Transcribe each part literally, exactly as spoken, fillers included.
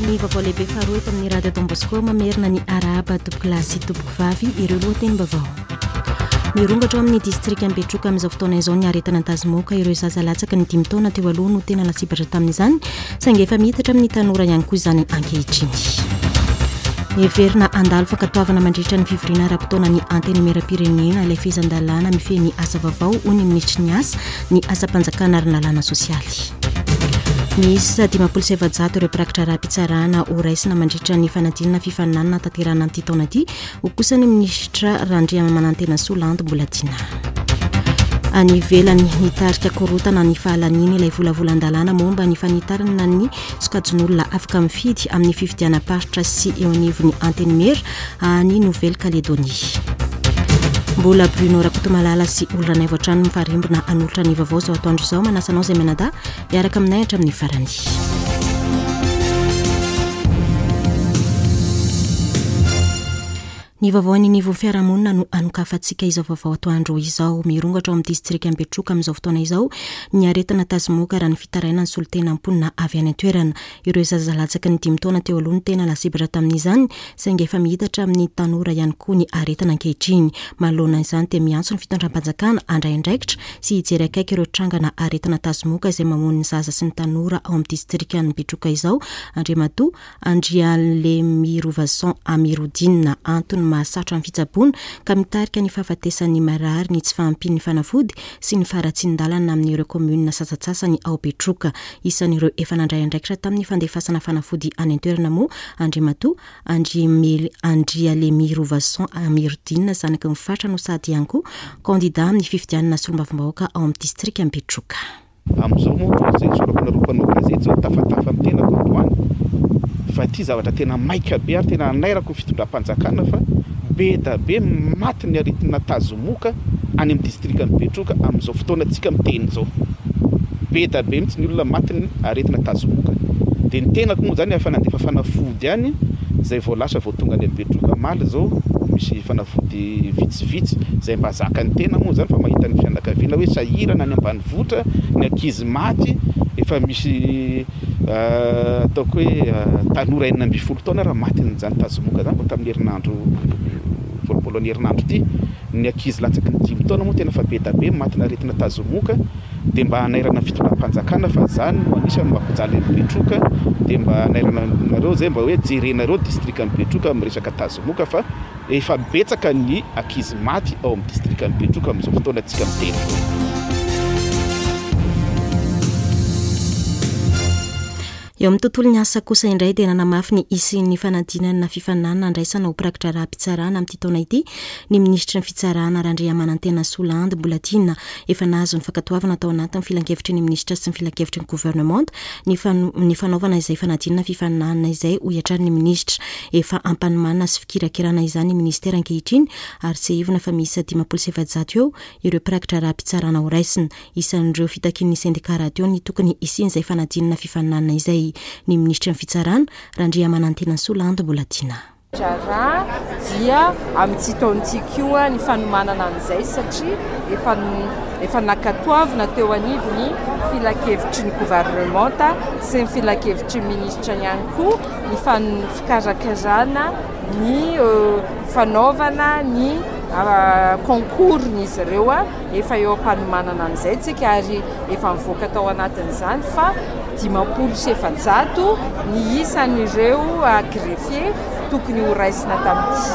Ny vaovao lehibe faharoa eto amin'ny Radio Don Bosco. Mamerina ny arahaba, tompokolahy sy tompokovavy. Ireo lohatenim-baovao: mirongatra ao amin'ny distrika Betroka amin'izao fotoana izao ny aretina tazomoka. Ireo zaza latsaky ny dimy taona teo aloha no tena lasibatra tamin'izany, saingy efa miitatra amin'ny tanora ihany koa izany ankehitriny. Heverina handalo fankatoavana mandritra ny fivoriana ara-potoana ny Antenimieram-pirenena ilay fehezan-dalàna mifehy ny asa vaovao, hoy ny minisitry ny asa, ny asam-panjakana ary ny lalàna sosialy. Misy dimampolo sy efajato ireo mpirakitra raha-pitsarana ho raisina mandritra ny fanadinana fifaninanana tanterahina amin'ity taona ity, ho kosa ny minisitra Randriamanantenasoa Landy Mbolatiana. Any ivelany, nitarika korotana ny fahalaniny ilay volavolan-dalàna momba ny fanitarana ny sokajin'olona afaka mifidy amin'ny fifidianam-paritra sy eo anivon'ny antenimiera any Nouvelle-Calédonie. Mbola Bruno Rakotomalala sy Olo-Ranaivo hatrany mifarimbona hanolotra ny vaovao izao atoandro izao. Manasa anao izay mianadahy hiaraka aminay hatramin'ny farany. Ny vaovao any anivon'ny fiarahamonina no anokafantsika izao vaovao atoandro izao. Mirongatra ao amin'ny distrika Betroka amin'izao fotoana izao ny aretina tazomoka, raha ny fitarainan'ny solontena mponina avy any an-toerana. Ireo zaza latsaky ny dimy taona teo aloha no tena lasibatra tamin'izany, saingy efa miitatra amin'ny tanora ihany koa ny aretina ankehitriny. Manoloana izany dia miantso ny fitondram-panjakana handray andraikitra sy hijery akaiky ireo trangana aretina tazomoka izay mamono ny zaza sy ny tanora ao amin'ny distrikan'i Betroka izao Andriamatoa Andrialemirovason Amirodina. Antony mahasarotra ny fitsaboana ka mitarika ny fahafatesan'ny marary ny tsy fahampian'ny fanafody sy ny faharatsian-dalana amin'ireo kaominina sasantsasany ao Betroka. Isan'ireo efa nandray andraikitra tamin'ny fandefasana fanafody any an-toerana moa Andriamatoa Andrialemirovason Amirodina, zanaky ny faritra no sady ihany koa kandida amin'ny fifidianana solombavambahoaka ao amin'ny distrika Betroka. Amin'izao moa izay sorako nareo mpanao gazety zao, tafatafa amin'ny tenako androany fa ity zavatra tena maika be ary tena anairako ny fitondram-panjakana fa be da be maty ny aretina tazomoka any amin'ny distrikan'i Betroka amin'izao fotoana tsika miteny izao. Be da be mihitsy ny olona maty ny aretina tazomoka. Dia ny tenako moa zany efa nandefa fanafody any izay vao lasa vao tonga any Betroka omaly izao, misy fanafody vitsivitsy izay mba zakan'ny tena moa zany, fa mahita ny fianakaviana hoe sahirana any ambanivohitra, ny ankizy maty, efa misy ataoko hoe tanora enina ambin'ny folo taona raha matin'izany tazomoka zany vao tamin'ny herinandro voalohany herinandro ity. Ny ankizy latsaky ny dimy taona moa tena fa be da be matina aretina tazomoka. Dia mba hanairana ny fitondram-panjakana fa zany no anisan'ny mampijaly an'i Betroka. Dia mba hanairana nareo zay mba hoe jerenareo distrikan'i Betroka amin'ny resaka tazomoka fa efa betsaka ny ankizy maty ao amin'ny distrikan'i Betroka amin'izao fotoana tsika miteny. Eo amin'ny tontolon'ny asa kosa indray dia nanamafy ny hisian'ny fanadinana fifaninanana andraisana ho mpirakitra raha-pitsarana amin'ity taona ity ny minisitry ny fitsarana Randriamanantenasoa Landy Mbolatiana. Efa nahazo ny fankatoavana tao anatin'ny filankevitry ny minisitra sy ny filankevitry ny governemanta ny ny fanaovana izay fanadinana fifaninanana izay, hoy hatrany ny minisitra. Efa ampanomanana sy fikirakirana izany ny ministera ankehitriny ary tsiahivina fa miisa dimampolo sy efajato eo ireo mpirakitra raha-pitsarana ho raisina. Isan'ireo fitakian'ny sendika rahateo ny tokony hisian'izay fanadinana fifaninanana izay. Ny minisitry ny fitsarana Randriamanantenasoa Landy Mbolatiana. Raha dia amin'ity taona ity koa ny fanomanana an'izay, satria efa efa nankatoavina teo anivon'ny filankevitry ny governemanta sy ny filankevitry ny minisitra ihany koa ny fikarakarana ny fanaovana ny concours-n'izy ireo. Efa eo am-panomanana an'izay tsika ary efa mivoaka tao anatin'izany fa dimampolo sy efajato ny isan'ireo greffier tokony ho raisina tamin'ity.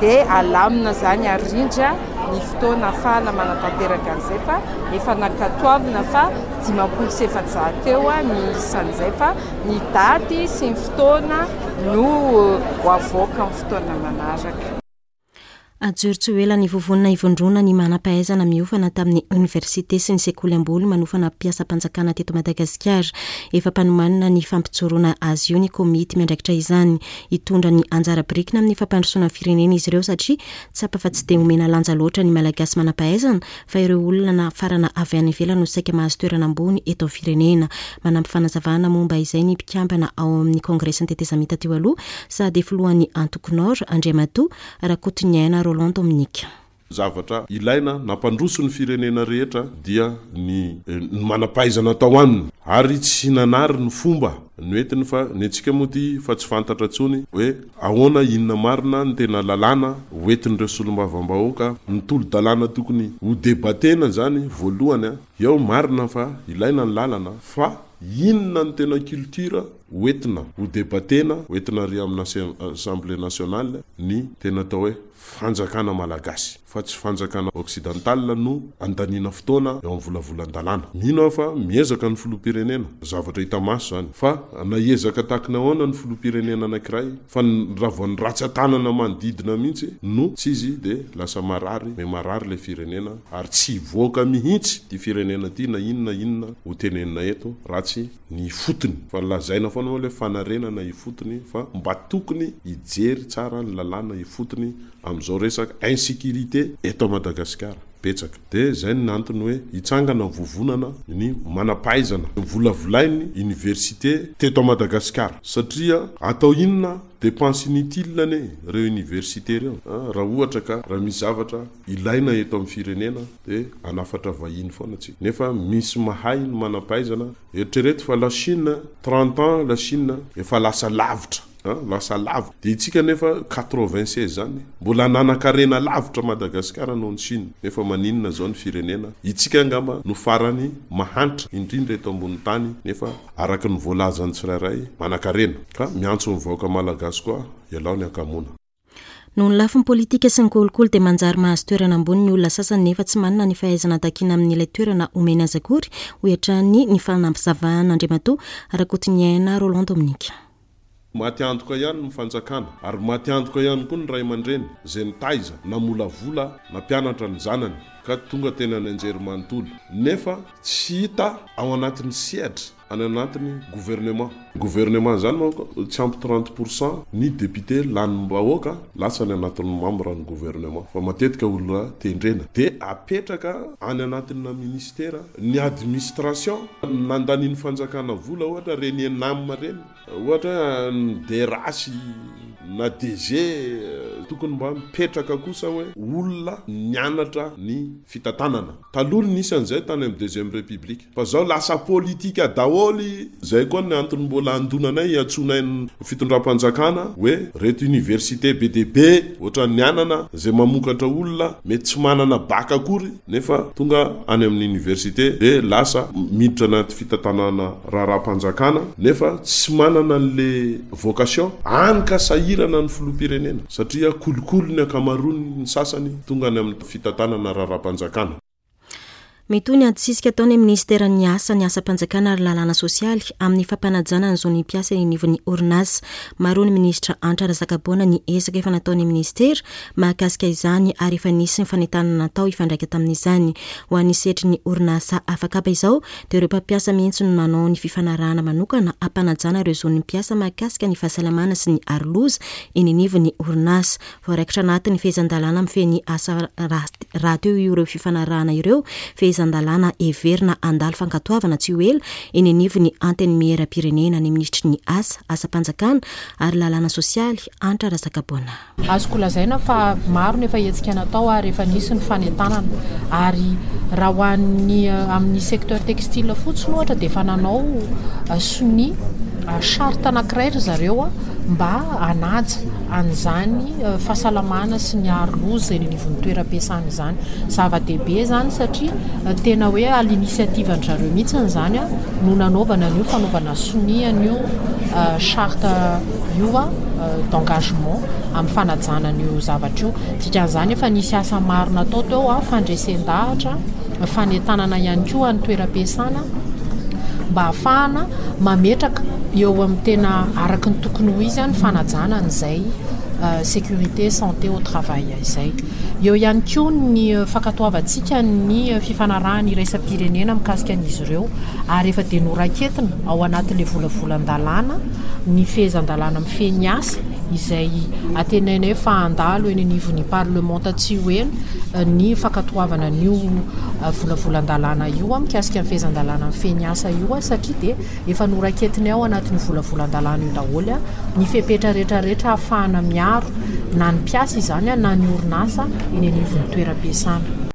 Dia alamina zany arindra ny fotoana ahafahana manatanteraka an'izay fa efa nankatoavina fa dimampolo sy efajato eo ny isan'izay, fa ny daty sy ny fotoana no ho avoaka amin'ny fotoana manaraka. Ajoro tsy ho ela ny vovonana ivondrona ny manam-pahaizana miofana tamin'ny oniversite sy ny sekoly ambony manofana mpiasam-panjakana teto Madagasikara. Efa mpanomanana ny fampijoroana azy io ny komity miandraikitra izany. Hitondra ny anjara birikina amin'ny fampandrosoana ny firenena izy ireo, satria tsapa fa tsy dia omena lanja loatra ny Malagasy manam-pahaizana fa ireo olona nafarana avy any ivelany no saika mahazo toerana ambony eto amin'ny firenena. Manampy fanazavana momba izay ny mpikambana ao amin'ny kongresin'ny tetezamita teo aloha sady filohan'ny antoko Nord, Andriamatoa Rakotoniaina Roland Dominique. Zavatra ilaina nampandroso ny firenena rehetra dia ny ny manam-pahaizana tao aminy, ary tsy nanary ny fomba noentiny, fa ny antsika moa ty fa tsy fantatra intsony hoe ahoana, inona marina ny tena lalàna hoentin'ireo solombavambahoaka. Ny tolo-dalàna tokony ho debatena zany voalohany a eo, marina fa ilaina ny lalana, fa inona ny tena culture hoentina ho debatena, hoentina ry amin'ny Assemblée nationale, ny tena atao hoe fanjakana malagasy, fa tsy fanjakana occidental no andanina fotoana eo amin'ny volavolan-dalàna. Mino aho fa miezaka ny filoham-pirenena, zavatra hita maso zany, fa na ezaka tahaka ny ahoana ny filoham-pirenena anankiray, fa raha vao ny ratsa-tanana manodidina mihitsy no tsy izy, de lasa marary me marary le firenena, ary tsy hivoaka mihitsy ty firenena ty na inona inona ho tenenina eto raha tsy ny ifotony. Fa lazaina foana moa le fanarenana ifotony, fa mba tokony hijery tsara ny lalàna ifotony amin'izao resaka insécurité eto Madagasikara betsaka. De zay ny antony hoe hitsangana vovonana ny manam-pahaizana volavolainy université teto Madagasikara, satria atao inona dépense inutile ane reo université reo? Raha ohatra ka raha misy zavatra ilaina eto amin'ny firenena, de anafatra vahiny foana tsika, nefa misy mahay ny manam-pahaizana. Eritrereto fa la Chine, trente ans la Chine efa lasa lavitra, lasa lavitra, de itsika nefa quatre-vingt-seize zany mbola nanan-karena lavitra Madagasikara noho ny Chine, nefa maninona zao ny firenena itsika angamba no farany mahantra indrindra eto ambony tany, nefa araky ny voalazany tsirairay manan-karena? Ka miantso ny vahoaka malagasy koa, ialao ny akamona. Noho ny lafiny politika sy ny kolikoly dia manjary mahazo toerana ambony ny olona sasany, nefa tsy manana ny fahaizana takiana amin'ilay toerana omeny azy akory, hoy hatrany ny fanampizavan'Andriamatoa Rakotoniaina Roland Dominique. Maty antoka ihany ny fanjakana, ary maty antoka ihany koa ny ray aman-dreny zay nitaiza, namolavola, nampianatra ny zanany ka tonga tena ny anjery manontolo, nefa tsy hita ao anatin'ny sehatra any anatin'ny gouvernement. Gouvernement zany manko tsy ampy trente pourcent ny député lanim-bahoaka lasa ny anatin'ny membre ny gouvernement, fa matetika olona tendrena de apetraka any anatina ministère ny administration nandaniny fanjakana vola, ohatra reny ENAM reny, ohatra ny D R H na D G. Tokony mba mipetraka kosa hoe olona nianatra ny fitantanana taloha nisy an'izay tany amin'ny deuxième république, fa zao lasa politika daholy. Zay koa ny antony mbola andonanay iantsonay fitondram-panjakana hoe reto université be de be ohatra ny anana zay mamokatra olona mety tsy manana bac akory, nefa tonga any amin'ny université de lasa miditra anaty fitantanana raharaha-panjakana, nefa tsy manana an'le vocation any, ka sahirana ny filoham-pirenena satria kolikoly ny ankamaroany ny sasany tonga any amin'ny fitantanana raharaha-panjakana. Mitohy ny adisisika ataony ministeran'ny asa, ny asam-panjakana ary lalàna sosialy amin'ny fampanajana ny zon'ny mpiasa eny anivon'ny orinasa. Maro ny ministra Hanitra Razakaboana ny ezaka efa nataon'ny ministera mahakasika izany, ary efa nisy ny fanentanana natao ifandraika tamin'izany. Ho an'ny sehatry ny orinasa afakaba izao dia ireo mpampiasa mihitsy no manao ny fifanarahana manokana ampanajana ireo zon'ny mpiasa mahakasika ny fahasalamana sy ny aroloza eny anivon'ny orinasa. Voaraikitra anatin'ny fehezan-dalàna mifehy ny asa raha teo ireo fifanarahana ireo, fehezan-dalàna heverina handalo fankatoavana tsy ho ela eny anivon'ny antenimieram-pirenena. Ny ministry ny asa, asam-panjakana ary lalàna sosialy, Hanitra Razakaboana. Azoko lazaina fa maro nefa hetsika natao ary efa nisy ny fanentanana, ary raha ho an'ny amin'ny secteur textile fotsiny ohatra dia efa nanao sonia charte anankiray ry zareo a mba hanaja an'izany fahasalamana sy ny aroloza eny anivon'ny toeram-piasana izany. Zava-dehibe zany satria tena hoe à l'initiative an zareo mihitsiny zany a no nanaovana an'io fanaovana sonia an'io charte io a d'engagement amin'ny fanajana an'io zavatra io. Dikan'izany efa nisy asa maro natao teo a fandresen-dahatra, fanentanana ihany koa ny toeram-piasana mba ahafahana mametraka eo amin'ny tena araky ny tokony ho izy a ny fanajana an'izay sécurité, santé au travail izay. Eo ihany koa ny fankatoavantsika ny fifanarahana iraisam-pirenena mikasika an'izy ireo, ary efa dia noraiketina ao anatin'le volavolan-dalàna ny fehezan-dalàna mifehy ny asa izay antenainay fa handalo eny anivon'ny parlement tsy ho ela ny fankatoavana an'io volavolan-dalàna io a mikasika ny fehezan-dalàna mifehy ny asa io a satria dia efa noraiketina ao anatin'ny volavolan-dalàna io daholo a ny fepetra rehetrarehetra ahafahana miaro na ny mpiasa izany na ny orinasa eny anivon'ny toeram-piasana.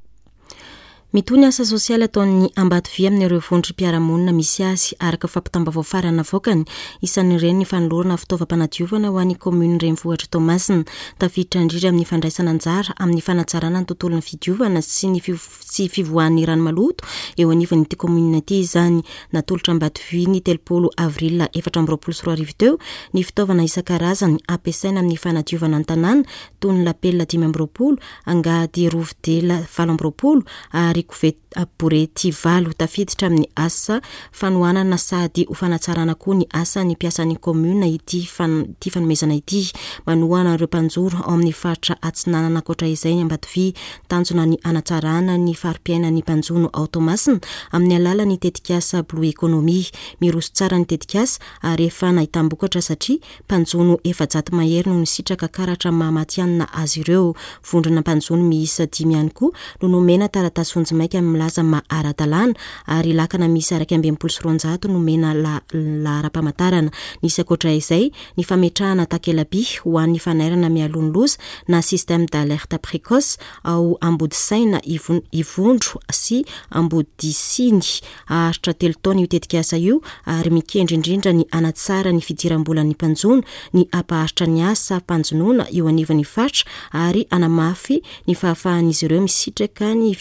Mitohy ny asa sosialy ataon'ny Ambatovy amin'ireo vondrom-piarahamonina misy azy, araka fampitam-baovao farany navoakany. Isan'ireny ny fanolorana fitaovam-panadiovana ho an'ny kaominina renivohitra Toamasina. Tafiditra indrindra amin'ny fandraisana anjara amin'ny fanatsarana ny tontolon'ny fidiovana sy ny sy fivoahan'ny rano maloto eo anivon'ity kaominina ity izany. Natolotra Ambatovy ny telopolo avril efatra amby roapolo sy roa arivo teo ny fitaovana isan-karazany ampiasaina amin'ny fanadiovana ny tanàna, toy ny lapelina dimy amby roapolo, angady rovidela valo amby roapolo ary koveta borety valo. Tafiditra amin'ny asa fanohanana sady ho fanatsarana koa ny asan'ny mpiasan'ny kaominina ity ity fanomezana ity. Manohana ireo mpanjoro ao amin'ny faritra Atsinanana ankoatra izay ny Ambatovy. Tanjona ny hanatsarana ny fari-piainan'ny mpanjono ao Toamasina amin'ny alalan'ny tetikasa Blue Economy. Miroso tsara ny tetikasa ary efa nahitam-bokatra satria mpanjono efajato mahery no nisitraka karatra mahamatianina azy ireo. Vondrona mpanjono miisa dimy ihany koa no nomena taratasy vonjimaika milaza maha ara-dalàna ary lakana miisa iraika amby enimpolo sy roanjato nomena laharam-pamantarana. Nisy ankoatra izay ny fametrahana takela-by ho an'ny fanairana mialoha ny loza na système d'alerte précoce ao Ambodisaina, Ivondro sy Ambodisiny. Haharitra telo taona io tetikasa io ary mikendry indrindra ny hanatsara ny fidiram-bolan'ny mpanjono, ny hampaharitra ny asa mpanjonoana eo anivon'ny faritra ary hanamafy ny fahafahan'izy ireo misitraka ny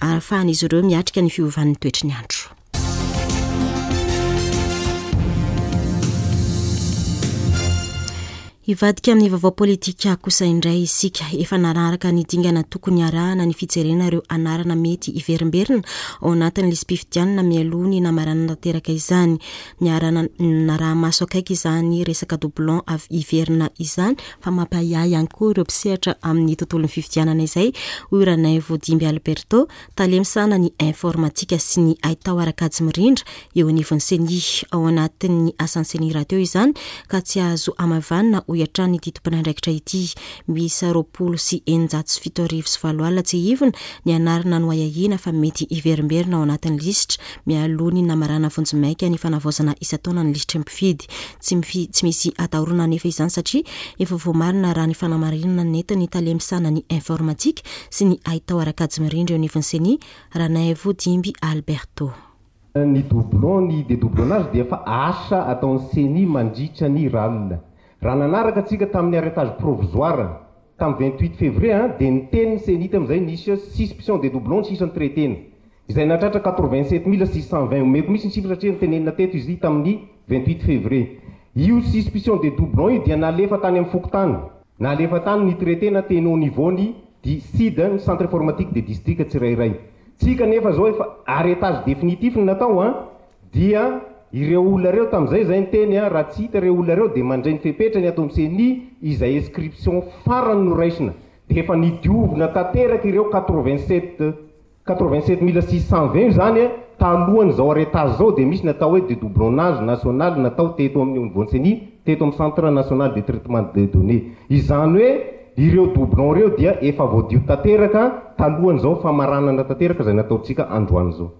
ahafahan'izy ireo miatrika ny fiovan'ny toetry ny andro. Hivadika amin'ny vaovao politika kosa indray isika. Efa nararaka ny dingana tokony arahana ny fijerena ireo anarana mety hiverimberina ao anatin'ny lisi-pifidianana mialoha ny namaranana tanteraka izany. Niarana naraha-maso akaiky izany resaka doublon avy hiverina izany fa mampahiahy ihany koa ireo mpisehatra amin'ny tontolon'ny fifidianana izay, hoy Ranaivo Dimby Alberto, tale misahana ny informatika sy ny haitao ara-kajy mirindra eo anivon'ny CENI. Ao anatin'ny asan'ny CENI rahateo izany ka tsy azo hamavanina, hoy hatrany ity tompon'andraikitra ity. Miisa roapolo sy eninjato sy fito arivo sy valo alina tsy hivina ny anarana noahiahiana fa mety hiverimberina ao anatin'ny lisitra mialoha ny namarana vonjimaika ny fanavaozana isan-taona ny lisitry ny mpifidy. Tsy mifi- tsy misy atahorana anefa izany satria efa voamarina raha ny fanamarinana nentin'ny tale misahana ny informatika sy ny haitao ara-kajy mirindra eo anivon'ny CENI, Ranaivo Dimby Alberto. Ny doublon, ny dédoublonnage dia efa asa ataon'ny CENI mandritra ny R A L. Raha nanaraka atsika tamin'ny arrêtage provisoire tamin'ny vingt-huit février, dia niteny ny CENI tamin'izay nisy suspicion de doublon sisa traitena izay natratra quatre-vingt-sept mille six cent vingt. Omeko misy ny chiffre satria nitenenina teto izy tamin'ny vingt-huit février. Io suspicion de doublon io dia nalefa tany amin'ny fokontany, nalefa tany ny traitena teny au niveau ny di C I D, ny centre informatique de district tsirairay tsika. Nefa zao efa arrêtage définitif ny natao a dia ireo olona reo tamin'izay zay nyteny a raha tsy hita ireo olona reo dia mandray ny fepetra ny atao amin'ny CENI. Izay inscription farany no raisina dia efa nidiovina tanteraka ireo quatre-vingt-sept quatre-vingt-sept mille six cent vingt io zany a talohany zao arrêtage zao. Dia misy natao hoe dédoublonnage national natao teto amin'ny niveau CENI, teto amin'ny centre national de traitement de données. Izany hoe ireo doublon reo dia efa voadio tanteraka talohan'izao famaranana tanteraka zay nataontsika androany zao.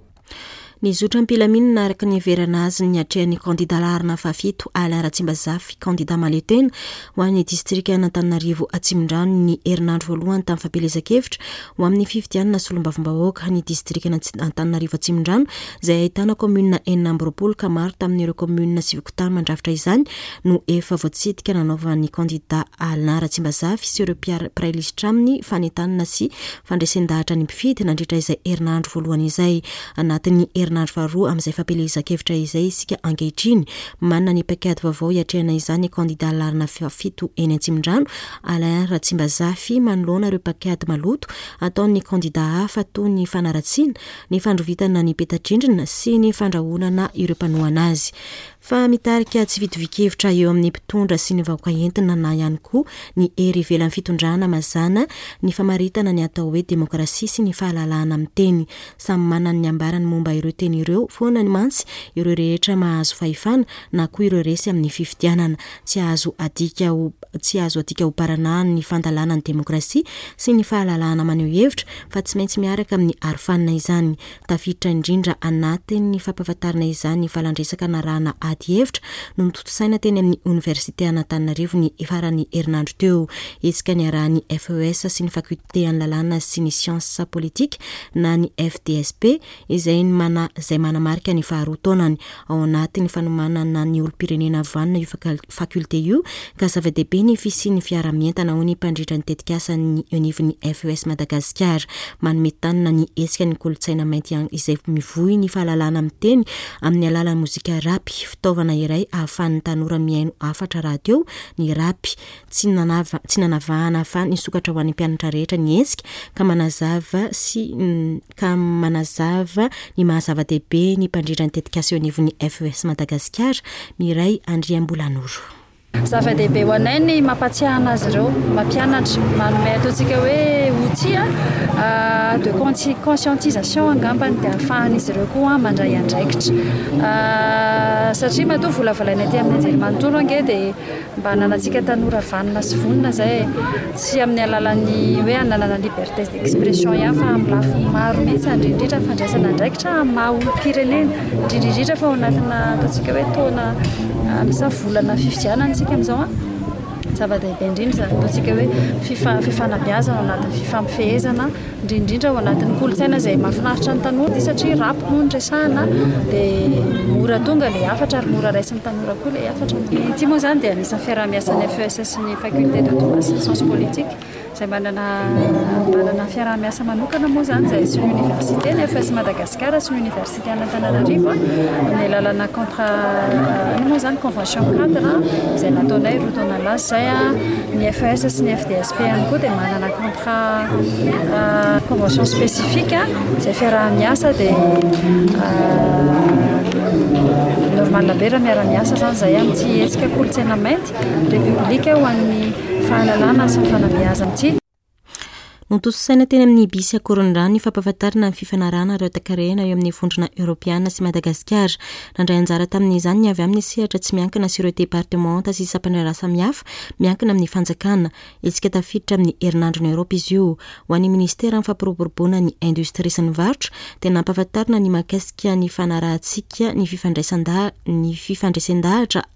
Ny zotra am-pilaminana araka ny heverana azy ny atrehan'ny kandida laharana fahafito Alain Ratsimbazafy, kandida mahaleo-tena ho an'ny distrika Antananarivo Atsimondrano, ny herinandro voalohany tamin'ny fampielezan-kevitra ho amin'ny fifidianana solombavambahoaka ny distrika Antananarivo Atsimondrano, izay ahitana kaominina enina amby roapolo ka maro tamin'ireo kaominina sy fokontany mandrafitra izany no efa voatsidika nanaovan'ny kandida Alain Ratsimbazafy sy ireo mpiray lisitra aminy fanentanana sy fandresen-dahatra ny mpifidy nandritra izay herinandro voalohany izay. Anatin'ny herinandro faharoa amin'izay fampielezan-kevitra izay isika ankehitriny. Manana ny paikady vaovao hiatrehana izany kandida laharana fahafito eny Atsimondrano Alain Ratsimbazafy manoloana ireo paikady maloto ataon'ny kandida hafa, toy ny fanaratsiana, ny fandrovitana ny peta-drindrina sy ny fandrahonana ireo mpanohana azy. Fa mitarika tsy fitovian-kevitra eo amin'ny mpitondra sy ny vahoaka entina na ihany koa ny hery ivelan'ny fitondrana mazana ny famaritana ny atao hoe demokrasia sy ny fahalalahana amin'ny teny. Samy manana ny ambarany momba ireo teny ireo foana ny mantsy ireo rehetra mahazo fahefana na koa ireo resy amin'ny fifidianana. Tsy azo adika ho tsy azo adika ho baranahany ny fandalana ny demokrasia sy ny fahalalahana maneho hevitra fa tsy maintsy miaraka amin'ny arofanina izany. Tafiditra indrindra anatin'ny fampahafantarana izany ny valandresaka narahana ady hevitra no notontosaina teny amin'ny Oniversite an'Antananarivo ny faran'ny herinandro teo. Hetsika niarahan'ny F E S sy ny Faculté an'ny lalàna sy ny sciences politiques na ny F D S P izay mana-, izay manamarika ny faharoa taonany ao anatin'ny fanomanana ny olom-pirenena vanona io fakal-, faculté io ka zava-dehibe ny fisian'ny fiarahamientana ho ny mpandrindra ny tetikasan'ny anivon'ny F E S Madagasikara. Manome tanana ny hetsika ny kolontsaina mainty ihany izay mivoy ny fahalalana miteny amin'ny alalan'ny mozika rapy, fitaovana iray ahafahan'ny tanora mihaino hafatra rahateo ny rapy. Tsy nanava-, tsy nanavahana fa nisokatra ho an'ny mpianatra rehetra ny hetsika ka manazava sy n-, ka manazava ny maha-zava-dehibe ny mpandrindra ny tetikasa eo anivon'ny F E S Madagasikara, Miray Andriambolanoro. Zava-dehibe ho anay ny mampatsiahana azy ireo, mampianatra, manome ataontsika hoe outil, ah, de consci-, conscientisation angambany dia ahafahan'izy ireo koa mandray andraikitra. Ah, satria matoa volavolaina aty amin'ny anjerimanontolo ange dia mba hananantsika tanora vanona sy vonona izay, tsy amin'ny alalan'ny hoe hananana liberté d'expression ihany fa amin'ny lafiny maro mihitsy, indrindra indrindra fandraisana andraikitra amin'ny maha olom-pirenena, indrindra indrindra fa ao anatina ataontsika hoe taona, ah, misy volana fifidianana isika amin'izao a. Zava-dehibe indrindra izany ataontsika hoe fifa-, fifanabeazana ao anatin'ny fifampifehezana, indrindra indrindra ao anatin'ny kolontsaina izay mahafinaritra ny tanora ity, satria rap moa no resahana dia mora tonga ilay hafatra ary mora raisin'ny tanora koa ilay hafatra. Ity moa izany dia anisan'ny fiaraha-miasan'ny F E S sy ny faculté de droit sy ny sciences politiques izay manana, manana fiaraha-miasa manokana moa izany izay sy ny université, ny F E S Madagasikara sy ny université an'Antananarivo, amin'ny alalana contrat, ino moa izany convention cadre izay nataonay roa taona lasa izay. Ny F E S sy ny F D S P ihany koa dia manana contrat, euh, convention spécifique izay fiaraha-miasa dia, euh, normal be raha miara-miasa izany izay amin'ity hetsika kolontsaina mainty République ho an'ny fahalalana sy ny fanabeazana ity. Notontosaina teny amin'ny Ibis Ankorondrano ny fampahafantarana ny fifanarahana ireo takarena eo amin'ny vondrona Eoropeana sy Madagasikara. Nandray anjara tamin'izany ny avy amin'ny sehatra tsy miankina sy ireo departemanta sy sampan-draharaha samihafa miankina amin'ny fanjakana. Hetsika tafiditra amin'ny herinandron'i Eoropa izy io. Ho an'ny ministeran'ny fampiroboroboana ny indostria sy ny varotra dia nampahafantarina ny mahakasika ny fanarahantsika ny fifandraisan-da-, ny fifandraisan-dahatra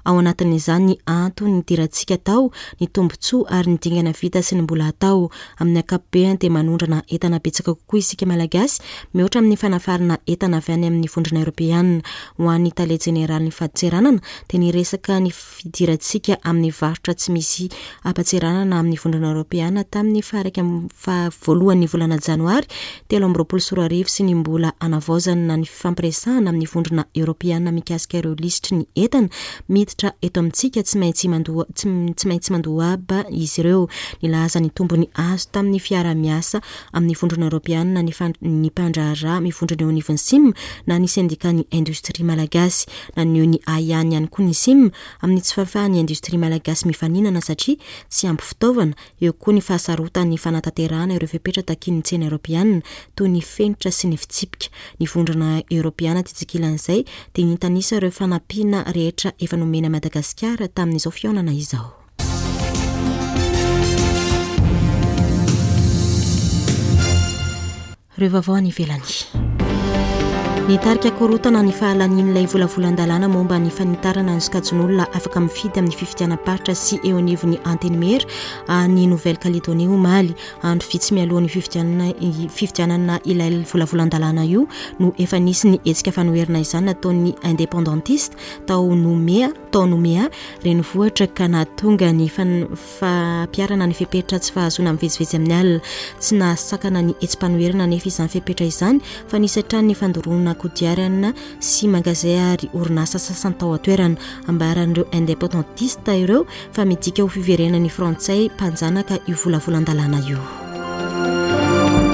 ao anatin'izany ny antony nidirantsika tao, ny tombontsoa ary ny dingana vita sy ny mbola atao. Amin'ny ankapobeny dia manondrana entana betsaka kokoa isika Malagasy mihoatra amin'ny fanafarana entana avy any amin'ny vondrona Eoropeana. Ho an'ny tale jeneralin'ny fadintseranana dia niresaka ny fidirantsika amin'ny varotra tsy misy ampatseranana amin'ny vondrona Eoropeana tamin'ny faha-iraika amby faha voalohan'ny volana janoary telo amby roapolo sy roa arivo sy ny mbola hanavaozana ny fifampiresahana amin'ny vondrona Eoropeana mikasika ireo lisitry ny entana miditra eto amintsika tsy maintsy mandoa, tsy, tsy maintsy mandoa haba izy ireo. Nilaza ny tombony azo tamin'ny fiarahamiasa amin'ny vondrona Eoropeana ny fan-, ny mpandraharaha mivondrona eo anivon'ny S I M na ny sendikan'ny indostria malagasy. Naneho ny ahiahiny ihany koa ny S I M amin'ny tsy fahafahan'ny indostria malagasy mifaninana satria tsy ampy fitaovana. Eo koa ny fahasarotan'ny fanatanterahana ireo fepetra takian'ny tsena Eoropeana toy ny fenitra sy ny fitsipika. Ny vondrona Eoropeana tetsy ankilan'izay dia nitanisa ireo fanampiana rehetra efa nomena Madagasikara tamin'izao fihaonana izao. Ireo vaovao any ivelany. Nitarika korontana ny fahalanian'ilay volavolan-dalàna momba ny fanitarana ny sokajin'olona afaka mifidy amin'ny fifidianam-paritra sy eo anivon'ny Antenimiera any Nouvelle-Calédonie omaly. Andro vitsy mialohan'ny fifidianana, fifidianana ilay volavolan-dalàna io no efa nisy ny hetsika fanoherana izany nataon'ny indépendantiste tao Nouméa, tao Nouméa renivohitra ka nahatonga ny fan-, fampiharana ny fepetra tsy fahazoana mivezivezy amin'ny alina. Tsy nahasakana ny hetsi-panoherana nefa izany fepetra izany fa nisy hatrany ny fandoroana kodiarana sy magazay ary orinasa sasany tao an-toerana. Ambaran'ireo indépendantiste ireo fa midika ho fiverenan'ny frantsay mpanjanaka io volavolan-dalàna io.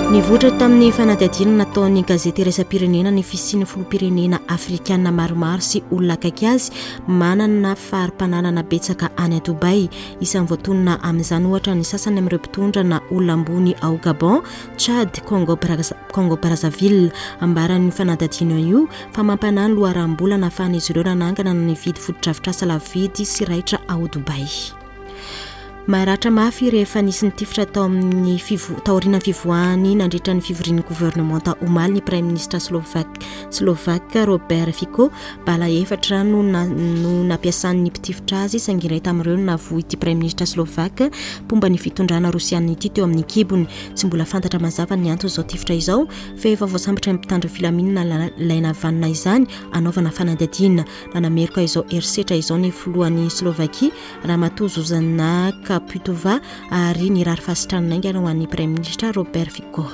Nivoitra tamin'ny fanadihadiana nataon'ny gazety iraisam-pirenena ny fisian'ny filoham-pirenena afrikana maromaro sy olona akaiky azy manana fari-pananana betsaka any Dubai. Isan'ny voatonona amin'izany ohatra ny sasany amin'ireo mpitondra na olona ambony ao Gabon, Tchad, Congo Brazza-, Congo Brazzaville. Ambaran'ny fanadihadiana io fa mampanahy ny loharanom-bola nahafahan'izy ireo nanangana ny nividy fotodrafitrasa lafo vidy sy raitra ao Dubai. Maratra mafy rehefa nisy nitifitra tao amin'ny fivo- taorian'ny fivoahany nandritra ny fivorian'ny governemanta omaly ny praiminisitra slovak slovak Robert Fico. Bala efatra no na, no nampiasan'ny mpitifitra azy, saingy iray tamin'ireo no nahavoa ity praiminisitra slovak mpomba ny fitondrana rosiana ity teo amin'ny kibony. Tsy mbola fantatra mazava ny anton'izao tifitra izao, fa efa voasambotra ny mpitandro filaminana ilay navanona izany anaovana fanadihadiana. Nanameloka izao herisetra izao ny filohan'ny Slovakia, Ramatoa Zuzana Caputova, ary nirary fahasitranana haingana ho an'ny praiminisitra Robert Fico.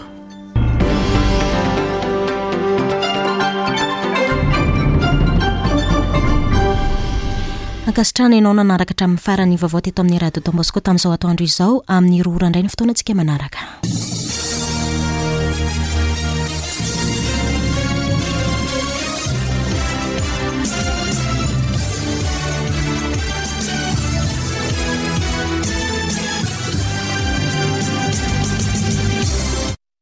Ankasitrahana ianao nanaraka hatramin'ny farany vaovao teto amin'ny Radio Don Bosco tamin'izao atoandro izao. Amin'ny roa ora indray ny fotoanantsika manaraka.